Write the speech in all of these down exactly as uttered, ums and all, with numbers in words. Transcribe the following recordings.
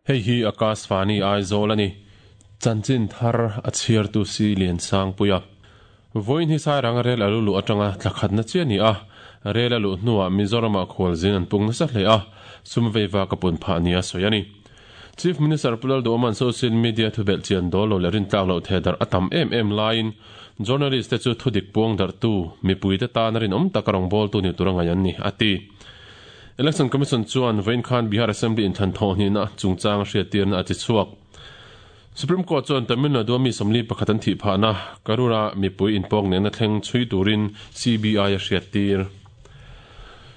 Hei hi Akashvani Aizawl ani. Chanchin thar a chhiartu si lian sang puia. Vawiin hi Sairanga rel a lu luh atanga thla khatna chiah a ni a, rel a luh hnuah Mizoramah khualzin an pung nasa hle a, sum veiva ka pun phah nia sawi a ni. Chief Minister Pu Lalduhawma'n social media thubelh chian dawl lo leh rintlak loh theh darh a tam em em laiin journalist te chu thudik puang darhtu, mipuite tana rinawm taka rawngbawltu ni tura ngaih an ni, a ti. Election Commission chuan vawiin khan Bihar Assembly inthlan thawhhnihna chungchang a hriattirna a ti chhuak. Supreme Court chuan Tamil Nadu-a mi sawmli pakhat an thih phahna Karur-a mipui inpawk nehna thleng chhui turin C B I a hriattir.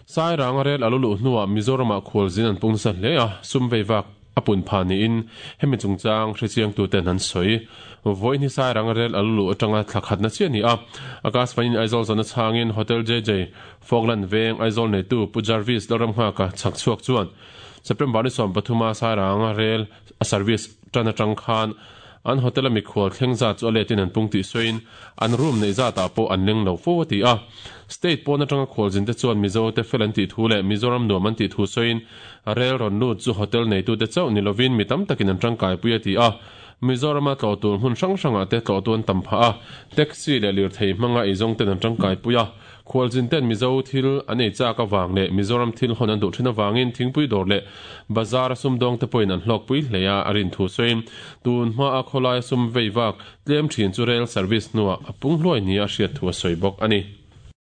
Sairanga rel a lo luh hnuah Mizoramah khualzin an pung nasa hle a, sum vei vak a pun phah niin hemi chungchang hrechiangtuten an sawi. Vawiin hi Sairanga rel a lo luh atanga thla khatna chiah a ni a, Akashvanin Aizawl zawhna chhangin Hotel J J Falkland Veng Aizawl neitu Pu Jarvis Lalramnghaka chhak chhuak chuan September ni sawm pathuma Sairanga rel a service tan atang khan an hotel a mikhual thleng zat chu a letin an pung tih sawiin an room neih zatah pawh an leng lo fo a ti a. State pawn atanga khualzin te chuan Mizo te fel an tih thu leh Mizoram nuam an tih thu sawiin rel rawn lut chu hotel neitute chauh ni lovin mi tam takin an tangkaipui a ti a. Mizorama tlawh tur hmun hrang hrangah te tlawhtu an tam phah a, taxi leh lirthei hmanga eizawng ten an tangkaipui a. Khualzin ten Mizo thil an ei chak avang leh Mizoram thil hawn an duh thin avangin thingpui dawr leh bazar a sumdawng te pawhin an hlawkpui hle a, a rin thu sawiin tun hmaa khawlaia sum vei vak tlem thin chu rail service hnuah a pung hluai nia a hriat thu a sawi bawk a ni.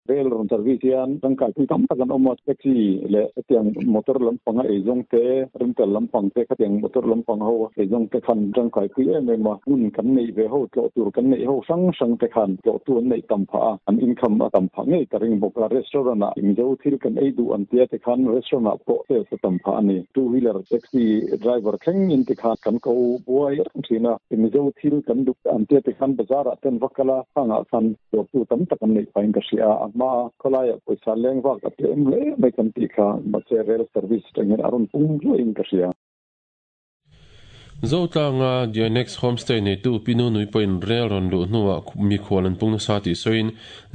Rail rawn service hian tangkaipui tam tak an awm a, taxi leh hetiang motor lampanga eizawng te, rental lampang te, khatiang motor lampang ho eizawng te khan tangkaipui em em a, hmun kan neih ve ho, tlawh tur kan neih ho hrang hrang te khan tlawhtu an neih tam phah a, an income a tam phah ngei ka ring bawk a, restaurant ah Mizo thil kan ei duh an tia te khan restaurant ah pawh sales a tam phah a ni. Two wheeler taxi driver thleng in te khan kan ko buai reng thin a, Mizo thil kan duh an tia te khan bazar ah ten va kal a, khang ah khan dawrtu tam tak an neih phah in ka hria a, a hma khawlai ah pawisa leng vak a tlem hle mai kan tih kha, mahse rail service atang hian a rawn pung hluai in ka hria. Zotlanga Dianex Homestay neitu Pi Nunui pawhin rel rawn luh hnuah mikhual an pung nasa tih sawiin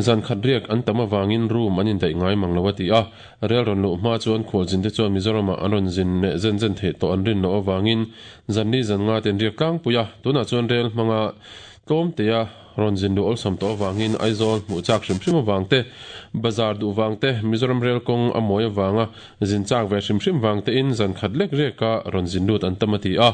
zan khat riak an tam avangin room an indaih ngai mang lo a ti a. Rel rawn luh hma chuan khualzinte chuan Mizoramah an rawn zin leh zen zen theih tawh an rin loh avangin zan li zan nga te an riak tlangpui a. Tunah chuan rel hmanga tlawmtea rawn zin luh awlsam tawh avangin Aizawl hmuh chak hrim hrim avang te, bazar duh vang te, Mizoram rel kawng a mawi avanga zin chak ve hrim hrim vang tein zan khat lek riaka rawn zin lut an tam a ti a.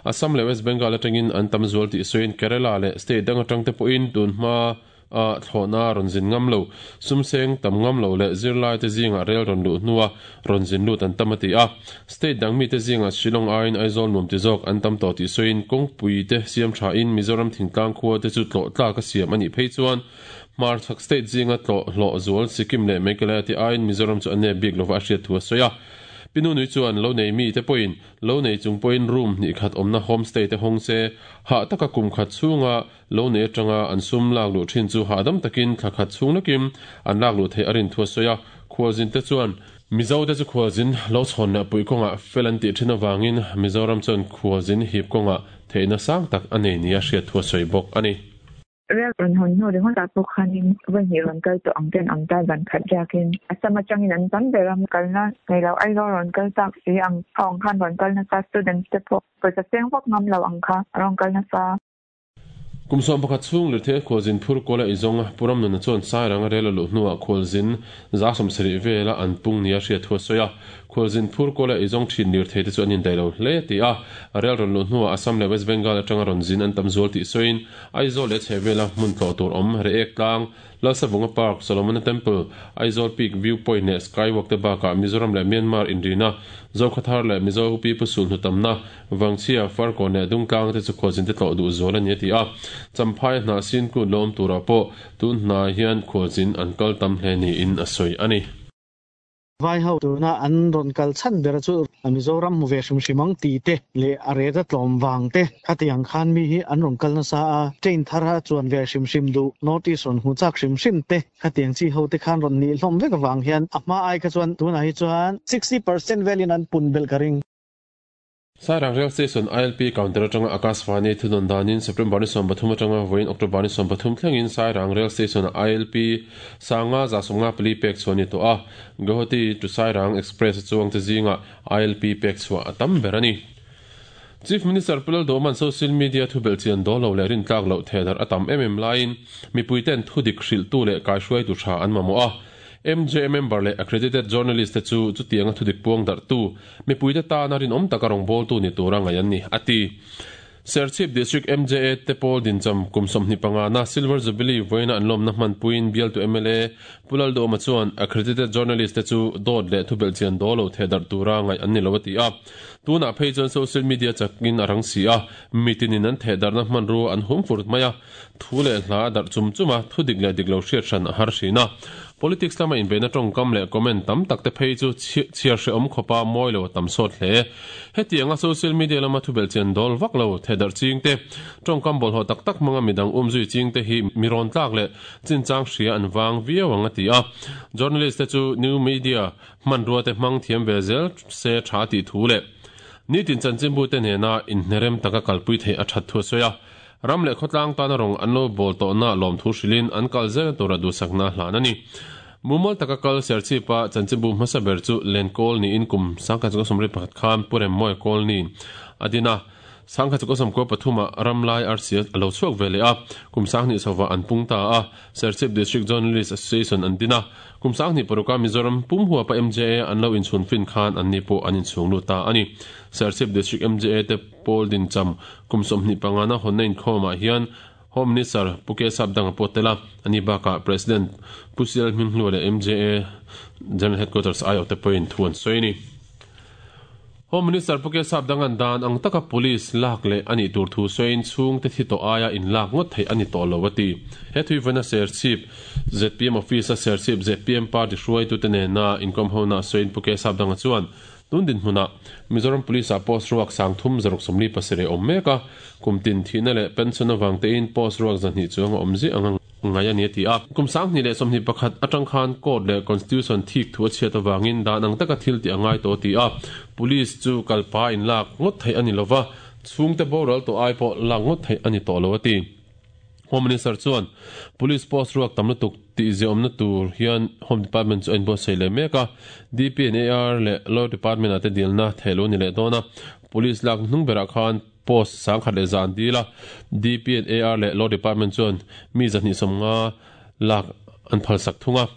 Assam leh West Bengal atangin an tam zual tih sawiin Kerala leh state dang atang te pawhin tun hma a thlawhna rawn zin ngam lo, sumseng tam ngam lo leh zirlai te zingah rel rawn luh hnua rawn zin lut an tam a ti a. State dang mite zingah Shillong aiin Aizawl nuam ti zawk an tam tawh tih sawiin kawngpui te siam thain Mizoram thingtlang khua te chu tlawh tlak a siam a nih phei chuan hmarchhak state zinga tlawh hlawh zual Sikkim leh Meghalaya te aiin Mizoram chu a nep bik lova a hriat thu a sawi a. Pi Nunui chuan lo nei mi te pawhin lo nei chung pawhin room hnih khat awmna homestay te hawng se, hah taka kum khat chhunga lo nei atanga an sum lak luh thin chu hahdam takin thla khat chhung lekin an lak luh theih a rin thu a sawi a. Khualzin te chuan Mizo te chu khualzin lo chhawn leh puih kawngah fel an tih thin avangin Mizoram chuan khualzin hip kawngah theihna sang tak a nei nia hriat thu a sawi bawk a ni. Rel rawn hawn hnu ringawt ah pawh khanin vawi hnih rawn kal tawh ang ten awm ta zan khat riakin Assam atangin an tam ber a, kalna nei lo Aizawl rawn kal chak si ang ho ang khan rawn kal nasa, students te pawh pawisa seng vak ngam lo ang kha a rawn kal nasa. Kum sawm pakhat chhung lirthei khualzin phur kual a eizawng a, Pu Ramnuna chuan Sairanga rel a luh hnuah khualzin za sawmsarih vela an pung nia hriat thu a sawi a. Khualzin phur kual a eizawng thin lirthei te chu an indaih lo hle a ti a. Rel rawn luh hnuah Assam leh West Bengal atanga rawn zin an tam zual tih sawiin Aizawl leh chhehvela hmun tlawh tur awm Reek Tlang, Lalsavunga Park, Solomona Temple, Aizawl Peak View Point leh Skywalk te bakah Mizoram leh Myanmar inrina Zokhathar leh Mizo Pipu sulhnu tamna Vangchhia, Farkawn leh Dungtlang te chu khualzin te tlawh duh zual a ni a ti a. Champhai hnah sin kut lawm turah pawh tun hnai hian khualzin an kal tam hle niin a sawi a ni. Vai ho tuna an rawn kal chhan ber chu Mizoram hmu ve hrim hrim ang tih te leh a ret a tlawm vang te khatiang khan mi hi an rawn kal nasa a, train thar a chuan ve hrim hrim duh, North East rawn hmu chak hrim hrim te khatiang chi ho te khan rawn nih hlawm vek avang hian a hma ai kha chuan tunah hi chuan sixty percent velin an pun belh ka ring. Sairang Rail Station I L P counter atanga Akashvani thudawn danin September ni sawm pathum atanga vawiin October ni sawm pathum thlengin Sairang Rail Station-a I L P sanga za sawmnga pali pek chhuah a ni tawh a, Guwahati to Sairang Express a chuangte zingah I L P pek chhuah a tam ber a ni. Chief Minister Pu Lalduhoma'n social media thubelh chian dawl lo leh rintlak loh thehdarh a tam em em laiin mipuiten thudik hrilhtu leh kaihruaitu tha an mamawh a. M J A member leh accredited journalist te chu chutianga thudik puang darhtu mipuite tana rinawm taka rawngbawltu ni tura ngaih an ni, a ti. Serchhip District M J A te pawl dincham kum sawmhnih pangana Silver Jubilee vawiina an lawmna hmanpuiin bialtu M L A Pu Lalduhoma chuan accredited journalist te chu dawt leh thubelh chian dawl lo thehdarh tura ngaih an ni lo a ti a. Tunah phei chuan social media chakin a rang si a, mitinin an thehdarhna hmanrua an hum fur mai a, thu leh hla a darh chum chum a, thu dik leh dik lo hriat hran a har hrin a. Politics lama inbeihna tawngkam leh comment tam tak te phei chu chhiar hrehawm khawpa mawi lo a tam sawt hle. Hetianga social media lama thubelh chian dawl vak lo thehdarh ching te, tawngkam bawlhhlawh tak tak hmanga midang umzui ching te hi mi rawn tlak leh chinchang hria an vang viau ang a ti a. Journalist te chu new media hmanrua te hmang thiam ve zel se tha tih thu leh nitin chanchinbu te nena inhnerem taka kalpui theih a that thu a sawi a. Ram leh khawtlang tana rawng an lo bawl tawhna lawmthu hrilhin an kal zel tura duhsakna hlan a ni. Mumal taka kal Serchhipa chanchinbu hmasa ber chu Lenkawl niin kum sangkhat chukawsawm riat pakhat khan Pu Remmawi Kawl niin a din a. Sangkhat chukawsawm kua pathuma Ramlai R C a lo chhuak ve leh a, kum sanghnih chhovah an pung ta a, Serchhip District Journalist Association an din a. Kum sanghnih paruka Mizoram pum huapa M J A an lo inchhun fin khan an ni pawh an inchhung lut ta a ni. Serchhip District M J A te pawl dincham kum sawmhnih pangana hawnna inkhawmah hian Home Minister Pu K Sapdanga pawh tel a, ani bakah President Pu C L Hminghlua leh M J A General Headquarters aiawh te pawhin thu an sawi a ni. Home Minister Pu K Sapdanga'n dan ang taka police lak leh a nih tur thu sawiin chhungte thi tawh aia inlak ngawt theih a ni tawh lo a ti. He thuivaina Serchhip Z P M Office-a Serchhip Z P M Party hruaitute nena inkawm hona sawiin Pu K Sapdanga chuan tun dinhmunah Mizoram Police-ah post ruak sang thum zaruk sawmli pasarih a awm mek a, kum tin thihna leh pension avang tein post ruak zahnih chuang a awm ziah ang a ngai a ni a ti a. Kum sanghnih leh sawmhnih pakhat atang khan court leh constitution thik thu a chhiat avangin dan ang taka thil tih a ngai tawh a ti a. Police chu kalpa inlak ngawt theih a ni lova, chhungte boral tawh ai pawh lak ngawt theih a ni tawh lo a ti. Home Minister chuan Police post ruak tam lutuk tih ziahawmna tur hian Home Department chu a inbuatsaih leh mek a, D P and A R leh Law Department ah te dilna theih lo ni leh dawn a. Police lak hnung berah khan post sangkhat leh zan dil a, D P and A R leh Law Department chuan mi zahnih sawmnga lak an phalsak thung a.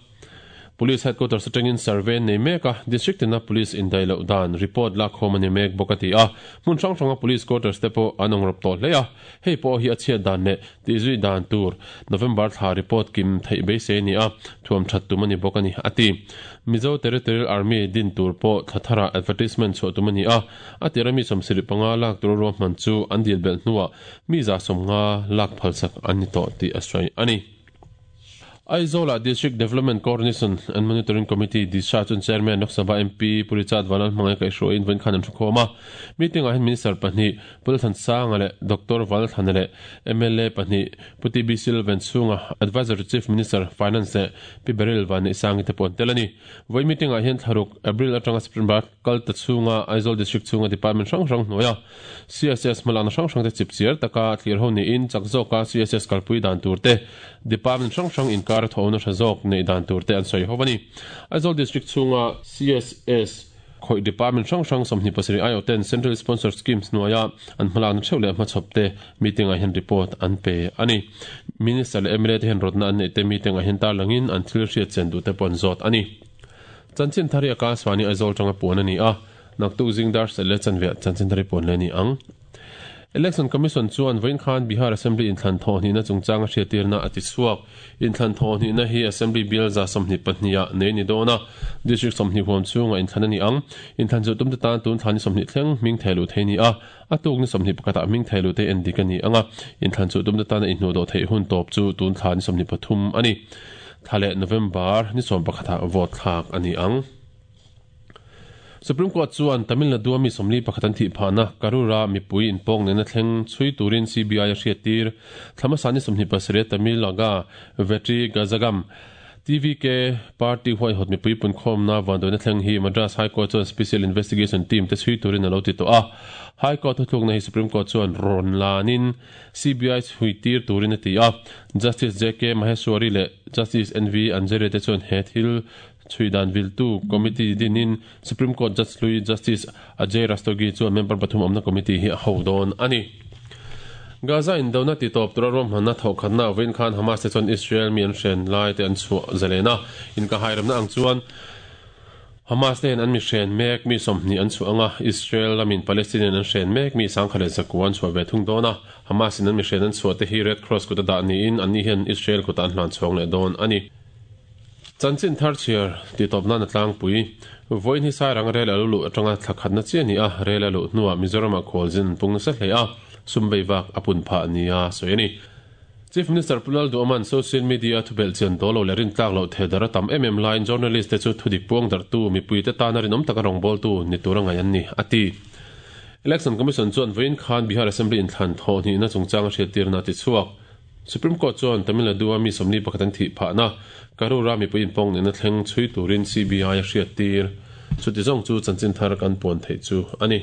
Police Headquarters atangin survey an nei mek a, District tina Police indaih loh dan report lak khawm a ni mek bawk a ti a. Hmun hrang hranga Police Quarters te pawh an awng rawp tawh hle a, hei pawh hi a chhiat dan leh tihzui dan tur November thla report kim theih beisei a ni a, thuam that tum a ni bawk a ni, a ti. Mizo Territorial Army din tur pawh thla tharah advertisement chhuah tum a ni a, a tira mi sawmsarih panga lak tur ruahman chu an dil belh hnuah mi za sawmnga lak phalsak an ni tawh tih a sawi a ni. Aizawl-ah District Development Coordination and Monitoring Committee, DISHA, chuan Chairman Lok Sabha M P Pu Richard Vanlal hmangaih kaihhruaiin vawiin khan an thu khawm a. Meeting-ah hian Minister pahnih Pu Lalthansanga leh Doctor Valthana leh M L A pahnih Pu T B Silvan chhunga Advisor to Chief Minister, Finance leh Pi Beryl Vanneihsangi te pawh an tel a ni. Vawiin meeting-ah hian thlaruk April atanga September kal ta chhunga Aizawl District chhunga Department hrang hrang hnuaia C S S hmalakna hrang hrang te chip chiar taka thlir ho niin chak zawka C S S kalpui dan tur te Department hrang hrang inkar thawhna hra zawk neih dan tur te an sawi ho a ni. Aizawl District chhunga C S S khawih Department hrang hrang sawmhnih pasarih aiawh ten Central Sponsored Schemes hnuaia an hmalakna theuh leh hmachhawp te meeting ah hian report an pe a ni. Minister leh M L A te hian rawtna an neih te meeting ah hian tarlangin an thil hriat chen duh te pawh an zawt a ni. Chanchin thari a Akashvani Aizawl tanga puan a ni a, naktuk zingdar sel leh chanveah chanchin thari puan leh a ni ang. Election Commission chuan vawiin khan Bihar Assembly inthlan thawhhnihna chungchanga hriattirna a ti chhuak. Inthlan thawhhnihna hi Assembly bial za sawmhnih pahniha nei ni dawn a, District sawmhnih huam chhunga inthlan a ni ang. Inthlan chu tumte tan tun thlan ni sawmhnih thleng hming thei luh thei ni a, a tuk ni sawmhnih pakhatah hming thei luh te en dik a ni ang a. Inthlan chu tumte tana inhnuh dawh theih hun tawp chu tun thla ni sawmhnih pathum a ni. Thla leh November ni sawm pakhatah vote thlak a ni ang. Supreme Court chuan Tamil Nadu a mi sawmli pakhat an thih phahna Karura mipui inpawk nena thleng chhui turin C B I a hriattir. Thlamasa ni sawmhnih pasarih Tamil Naga Vetri Kazhagam T V K Party huaihawt mipui punkhawmna vanduaina thleng hi Madras High Court chuan Special Investigation Team te chhui turin a lo ti tawh a. High Court thuthlukna hi Supreme Court chuan rawn lanin C B I chhui tir turin a ti a. Justice J K Maheshwari leh Justice N V Anjaria te chuan he thil Chuidan viltu committee dinin Supreme Court Judge Louis Justice Ajay Rastogi chuan member pathum awmna committee hi a ho dawn a ni. Gaza in dona ti top tura rom hanna thokhatna win khan Hamas te chuan Israel mi an hren lai te an chu zalena in ka hairamna ang chuan Hamas ten an mi hren mek mi somni an chu anga Israel lamin Palestinian an hren mek mi sangkhale zakuan chu ve thung dona Hamas in an mi hren an chu te hi Red Cross kuta da ni in an ni hian Israel kuta an hlan chhawng le dawn ani. Chanchin thar chiar ti top na tlang pui voin hi Sairang rel alu atanga thlakhat na chi ani a rel alu nuwa Mizoram a kholzin pung sa hle a sumbei wak apun pha nia soini. Chief Minister Pulal Duaman social media thu bel chen dolo lerin tlak lo thedara tam mm line journalist te chu thudik puang dar tu mi pui te tan rin om taka rong bol tu ni turanga yan ni ati. Election Commission chuan voin khan Bihar Assembly in thlan tho ni na chungchang hriatir na ti chuak. Supreme Court chuan Tamil Nadu mi somni pakhatan thi pha na Karura mi puin pong ni na thleng chui turin C B I a hriatir. Chuti zong chu chanchin thar kan pon thei chu ani.